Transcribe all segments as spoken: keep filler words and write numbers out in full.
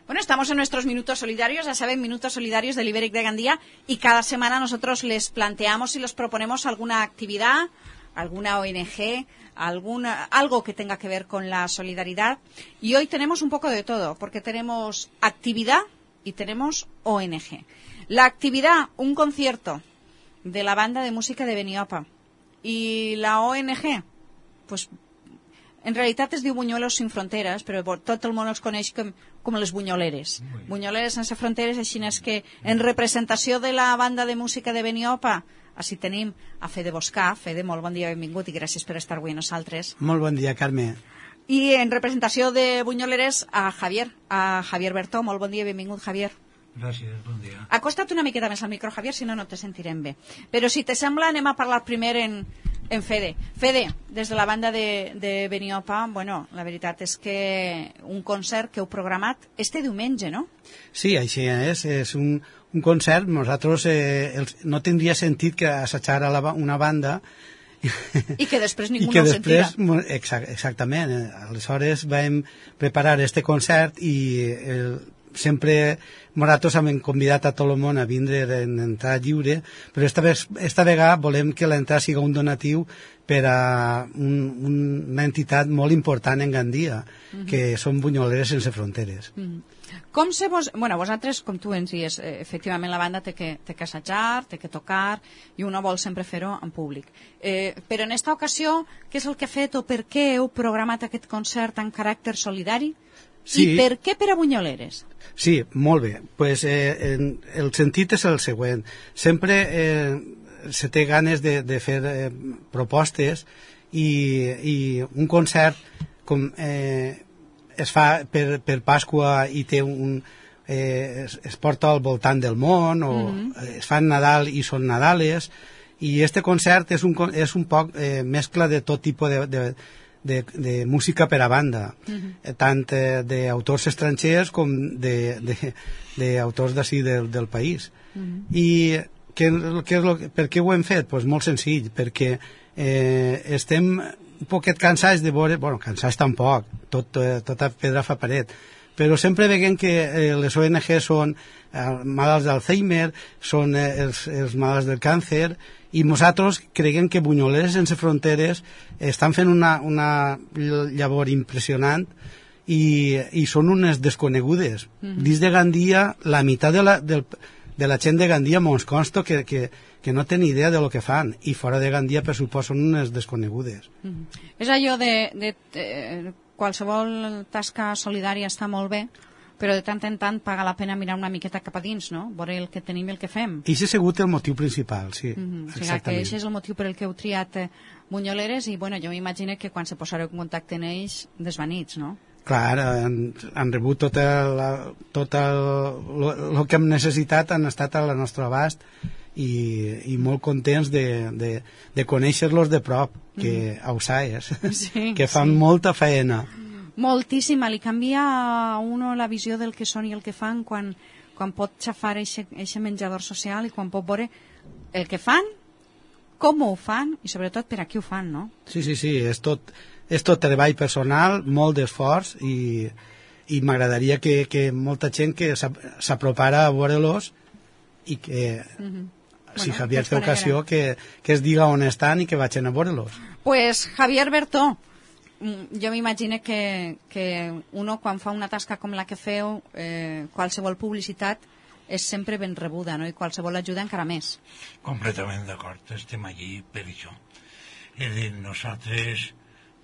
Bueno, estamos en nuestros minutos solidarios, ya saben, minutos solidarios del Ibéric de Gandía, y cada semana nosotros les planteamos y les proponemos alguna actividad, alguna O N G, alguna, algo que tenga que ver con la solidaridad. Y hoy tenemos un poco de todo, porque tenemos actividad y tenemos O N G. La actividad, un concierto de la banda de música de Beniopa. I la O N G, pues, en realitat es diu Buñuelos sin fronteres, però tot el món els coneix com, com les bunyoleres. Bunyoleres sense fronteres, així és que en representació de la banda de música de Beniopa, així tenim a Fede Boscà. Fede, molt bon dia, benvingut i gràcies per estar avui amb nosaltres. Molt bon dia, Carme. I en representació de bunyoleres a Javier, a Javier Bertó. Molt bon dia, benvingut, Javier. Gràcies, bon dia. Acosta't una miqueta més al micro, Javier, si no, no te sentirem bé. Però si te sembla, anem a parlar primer en, en Fede. Fede, des de la banda de, de Beniopa, bueno, la veritat és que un concert que heu programat este diumenge, no? Sí, així és. És un, un concert. Nosaltres eh, els, no tindria sentit que assajar a la, una banda i que després ningú que no després, ho sentirà. Exact, exactament. Aleshores vam preparar este concert i el, sempre nosaltres hem convidat a tot el món a vindre en entrada lliure, però esta, vez, esta vegada volem que l'entrada sigui un donatiu per a un, una entitat molt important en Gandia, uh -huh. que són Bunyoleres sense fronteres. Uh -huh. Com se vos... Bueno, vosaltres, com tu ens dius, eh, efectivament la banda té que, té que assajar, té que tocar, i uno vol sempre fer-ho en públic. Eh, però en esta ocasió, què és el que ha fet o per què heu programat aquest concert en caràcter solidari? Sí. I per què per a Bunyoleres? Sí, molt bé. Pues, eh, en, el sentit és el següent. Sempre eh, se té ganes de, de fer eh, propostes i, i un concert com eh, es fa per, per Pasqua i té un, eh, es, es porta al voltant del món o mm-hmm. es fan Nadal i són Nadales, i este concert és un, és un poc eh, mescla de tot tipus de, de De, de música per a banda, uh-huh. tant eh, d'autors estrangers com d'autors d'ací del, del país. Uh-huh. I que, que és lo, per què ho hem fet? Pues molt senzill, perquè eh, estem un poquet cansats de veure, bueno, cansats tampoc, tot, eh, tota pedra fa paret, però sempre veiem que eh, les O N G són eh, malalts d'Alzheimer, són eh, els, els malalts del càncer, i nosaltres creiem que Bunyoleres sense fronteres estan fent una, una llavor impressionant i, i són unes desconegudes. Mm-hmm. Dins de Gandia, la meitat de la, del, de la gent de Gandia mos consta que, que, que no té ni idea de lo que fan, i fora de Gandia, per supost, són unes desconegudes. Mm-hmm. És allò de, de, de qualsevol tasca solidària està molt bé, però de tant en tant paga la pena mirar una miqueta cap a dins, no? Veure el que tenim i el que fem. I això ha sigut el motiu principal, sí. Mm-hmm. O sigui, que això és el motiu per el que heu triat eh, Bunyoleres, i bueno, jo m'imagino que quan se posareu en contacte amb ells, desvanits, no? Clar, han, han rebut tot el, tot el, el que hem necessitat, han estat a la nostra abast, i, i molt contents de, de, de conèixer-los de prop, que mm-hmm. ausaies, sí, que fan sí. molta feina. Moltíssima, li canvia a uno la visió del que són i el que fan quan, quan pot xafar aquest menjador social i quan pot veure el que fan, com ho fan i sobretot per a qui ho fan, no? Sí, sí, sí, és tot, és tot treball personal, molt d'esforç, i, i m'agradaria que, que molta gent que s'apropara a veure-los i que, mm-hmm. si bueno, Javier té ocasió, que, que es diga on estan i que vagin a veure-los. Pues Javier Bertó, jo m'imagino que, que uno quan fa una tasca com la que feu, eh, qualsevol publicitat és sempre ben rebuda, no? I qualsevol ajuda encara més. Completament d'acord, estem allí per això. És dir, nosaltres,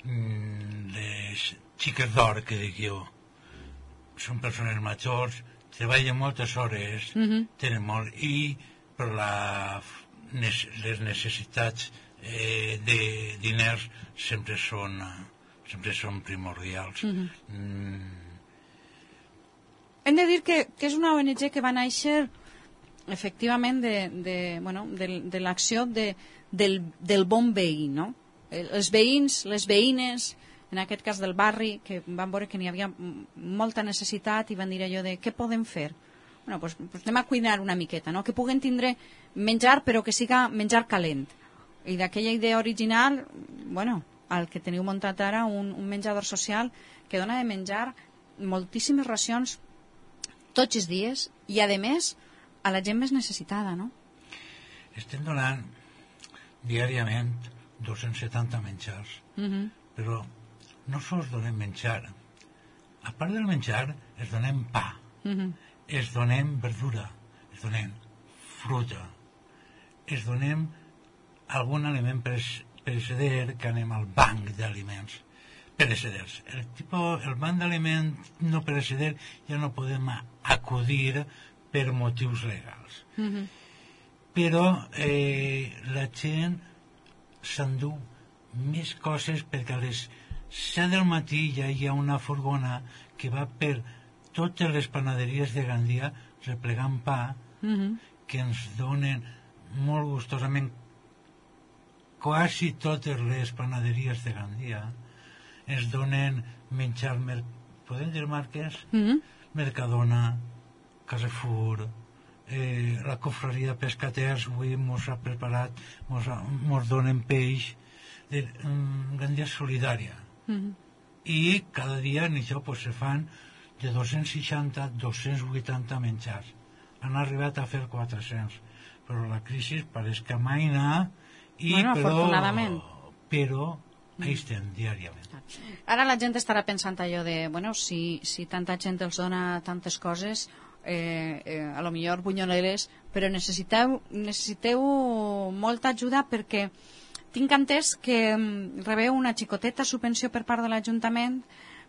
les xiques d'or, que dic jo, són persones majors, treballen moltes hores, mm-hmm. tenen molt, i per la, les necessitats eh, de diners sempre són... sempre són primordials. Uh-huh. mm. Hem de dir que, que és una O N G que va néixer efectivament de, de, bueno, de, de l'acció de, del, del bon veí, no? Els veïns, les veïnes, en aquest cas del barri, que van veure que n'hi havia molta necessitat i van dir allò de què podem fer? Bueno, doncs, doncs anem a cuidar una miqueta, no? Que puguen tindre menjar però que siga menjar calent. I d'aquella idea original, bueno, el que teniu muntat ara, un, un menjador social que dona de menjar moltíssimes racions tots els dies i, a més, a la gent més necessitada, no? Estem donant diàriament dos-cents setanta menjars, Uh-huh. però no sols donem menjar. A part del menjar, es donem pa, Uh-huh. es donem verdura, es donem fruta, es donem algun aliment pereceder que anem al banc d'aliments pereceders. El, tipus, el banc d'aliments no pereceder ja no podem acudir per motius legals. Uh-huh. Però eh, la gent s'endú més coses perquè a les set del matí ja hi ha una furgona que va per totes les panaderies de Gandia replegant pa, Uh-huh. que ens donen molt gustosament quasi totes les panaderies de Gandia ens donen menjar mer... podem dir marques? Uh-huh. Mercadona, Carrefour, eh, la cofreria Pescaters avui mos ha preparat, mos, ha, mos donen peix, de, um, Gandia és solidària. Uh-huh. I cada dia en això pues, se fan de dos-cents seixanta a dos-cents vuitanta menjars. Han arribat a fer quatre-cents, però la crisi pareix que mai anar i Bueno, però, afortunadament. però ahí estem diàriament. Ara la gent estarà pensant allò de, bueno, si, si tanta gent els dona tantes coses, eh, eh, a lo millor bunyoleres, però necessiteu, necessiteu molta ajuda perquè tinc entès que mm, rebeu una xicoteta subvenció per part de l'Ajuntament,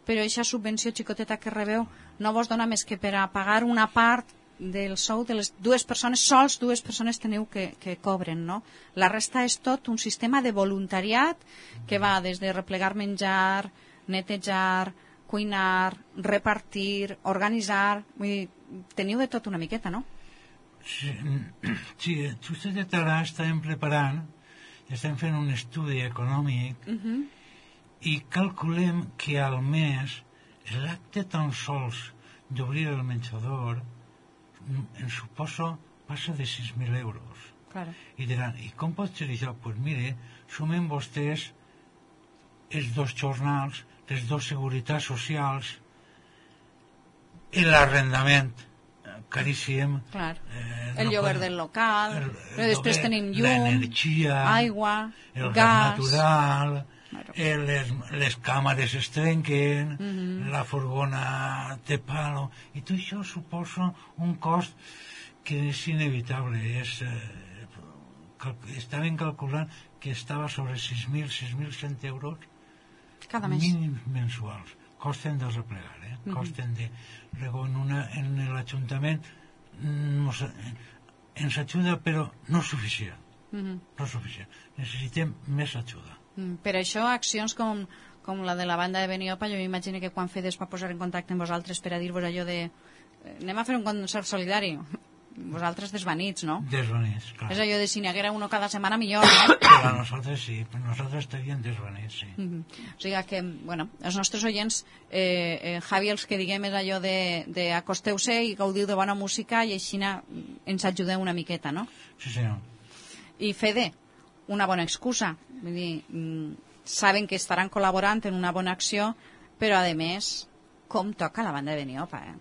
però aquesta subvenció xicoteta que rebeu no vos dona més que per a pagar una part del sou de les dues persones, sols dues persones teniu que, que cobren, no? La resta és tot un sistema de voluntariat que va des de replegar menjar, netejar, cuinar, repartir, organitzar, vull dir, teniu de tot una miqueta, no? Sí, sí, justet de Tarà estàvem preparant, estem fent un estudi econòmic Uh-huh. i calculem que al mes l'acte tan sols d'obrir el menjador en suposo passa de sis mil euros. Claro. I diran, i com pot ser això? Doncs pues mire, sumen vostès els dos jornals, les dues seguretats socials, l'arrendament caríssim, Clar. eh, El no lloguer podem- del local, el- el però després lloguer, tenim llum, l'energia, aigua, el gas gas. natural, Claro. eh, les, les càmeres es trenquen, Mhm. la furgona té palo, i tot això suposa un cost que és inevitable. És, eh, cal, estaven calculant que estava sobre sis mil, sis mil cent euros Cada mes. mínims mensuals. Costen de replegar, eh? Mhm. Costen de... Luego en, una, en l'Ajuntament nos, ens ajuda, però no és suficient. Mhm. No és suficient. Necessitem més ajuda. Mm, Per això, accions com, com la de la banda de Beniopa, jo m'imagino que quan Fede es va posar en contacte amb vosaltres per a dir-vos allò de eh, anem a fer un concert solidari, vosaltres desvanits, no? Desvanits, clar. És allò de si n'hi haguera uno cada setmana millor, no? Per a nosaltres sí, per nosaltres estaríem desvanits, sí. Mhm. O sigui que, bueno, els nostres oients, eh, eh, Javi, els que diguem és allò de, de acosteu-se i gaudiu de bona música i així ens ajudeu una miqueta, no? Sí, senyor. I Fede, una bona excusa. Vull dir, mm, saben que estaran col·laborant en una bona acció, però, a més, com toca la banda de Beniopa, eh?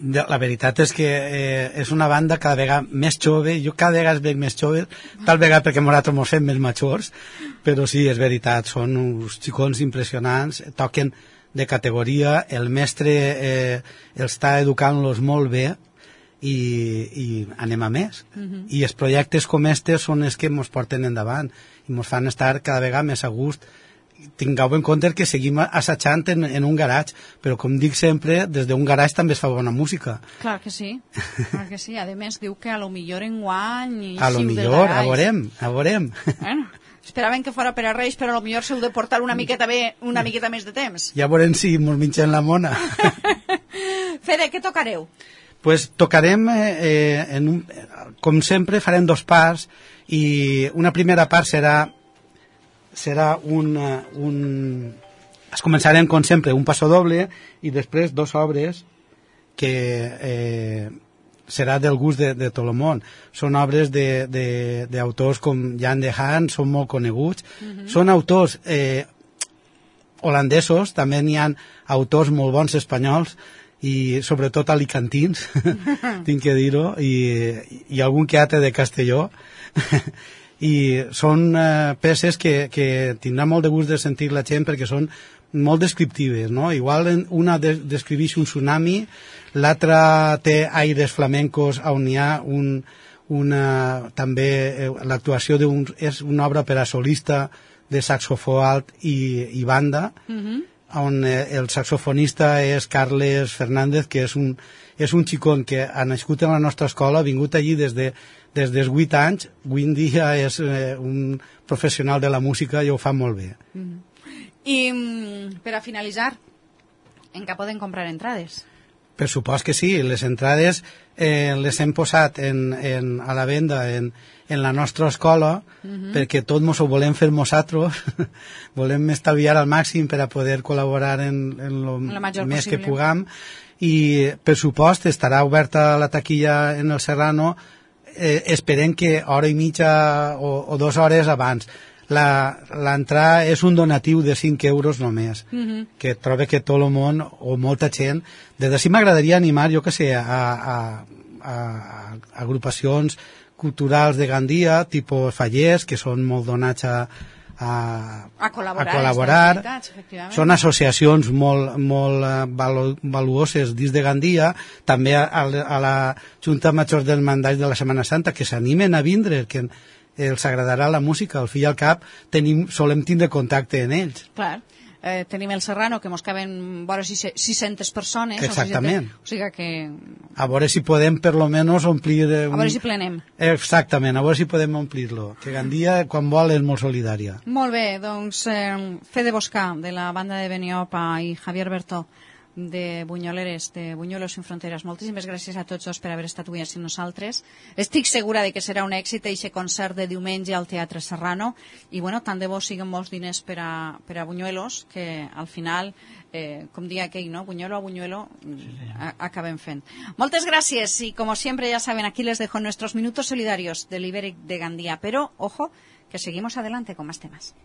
La veritat és que eh, és una banda cada vegada més jove, jo cada vegada es veig més jove, tal vegada perquè nosaltres ens fem més majors, però sí, és veritat, són uns xicons impressionants, toquen de categoria, el mestre eh, els està educant-los molt bé i, i anem a més. Mhm. I els projectes com estes són els que ens porten endavant i ens fan estar cada vegada més a gust. Tingueu en compte que seguim assajant en, en un garatge, però com dic sempre, des d'un garatge també es fa bona música. Clar que sí, clar que sí. A més, diu que a lo millor en guany... A lo millor, a veurem, a veurem. Bueno, esperaven que fora per a Reis, però a lo millor s'heu de portar una miqueta, bé, una miqueta més de temps. Ja veurem si ens mengen la mona. Fede, què tocareu? Pues tocarem, eh, en un, com sempre, farem dos parts, i una primera part serà serà un, un... Es començarem, com sempre, un passo doble i després dos obres que eh, serà del gust de, de tot el món. Són obres d'autors com Jan de Haan, són molt coneguts. Mm-hmm. Són autors eh, holandesos, també n'hi ha autors molt bons espanyols, i sobretot alicantins, tinc que dir-ho, i, i algun que altre de Castelló, i són eh, peces que, que tindrà molt de gust de sentir la gent perquè són molt descriptives, no? Igual una de, descriveix un tsunami, l'altra té aires flamencos on hi ha un, una, també eh, l'actuació d'un, és una obra per a solista de saxofó alt i, i banda, mm-hmm. on eh, el saxofonista és Carles Fernández, que és un, és un xicón que ha nascut en la nostra escola, ha vingut allí des de des dels vuit anys, avui en dia és eh, un professional de la música i ho fa molt bé. Mm-hmm. I mm, per a finalitzar, en què poden comprar entrades? Per supost que sí, les entrades eh, les hem posat en, en, a la venda en, en la nostra escola, mm-hmm. perquè tot mos ho volem fer nosaltres, volem estalviar al màxim per a poder col·laborar en, en lo en més possible que puguem, i per supost estarà oberta la taquilla en el Serrano, eh, esperem que hora i mitja o, o dues hores abans. L'entrada és un donatiu de cinc euros només, mm-hmm. que trobo que tot el món o molta gent, des d'ací m'agradaria animar, jo que sé, a, a, a, a agrupacions culturals de Gandia, tipus Fallers, que són molt donats a, a, a col·laborar, a col·laborar. Són associacions molt, molt valu, valuoses dins de Gandia, també a, a la Junta Major del Mandat de la Setmana Santa, que s'animen a vindre, que els agradarà la música, al fi i al cap tenim, solem tindre contacte en ells. Clar, eh, tenim el Serrano, que mos caben vora sis-centes persones. Exactament. O sigui que... A veure si podem per lo menos omplir... Un... A veure si plenem. Exactament, a veure si podem omplir-lo. Que Gandia, quan vol, és molt solidària. Molt bé, doncs eh, Fede Boscà, de la banda de Beniopa, i Javier Bertó, de Bunyoleres, de Buñuelos sin Fronteres. Moltíssimes gràcies a tots dos per haver estat avui així amb nosaltres. Estic segura de que serà un èxit aquest concert de diumenge al Teatre Serrano, i bueno, tant de bo siguen molts diners per a, per a Buñuelos, que al final, eh, com dia aquell, no? Buñuelo a Buñuelo, sí, a, acabem fent. Moltes gràcies, y como siempre ya saben, aquí les dejo nuestros minutos solidarios del Ibéric de Gandía, pero ojo, que seguimos adelante con más temas.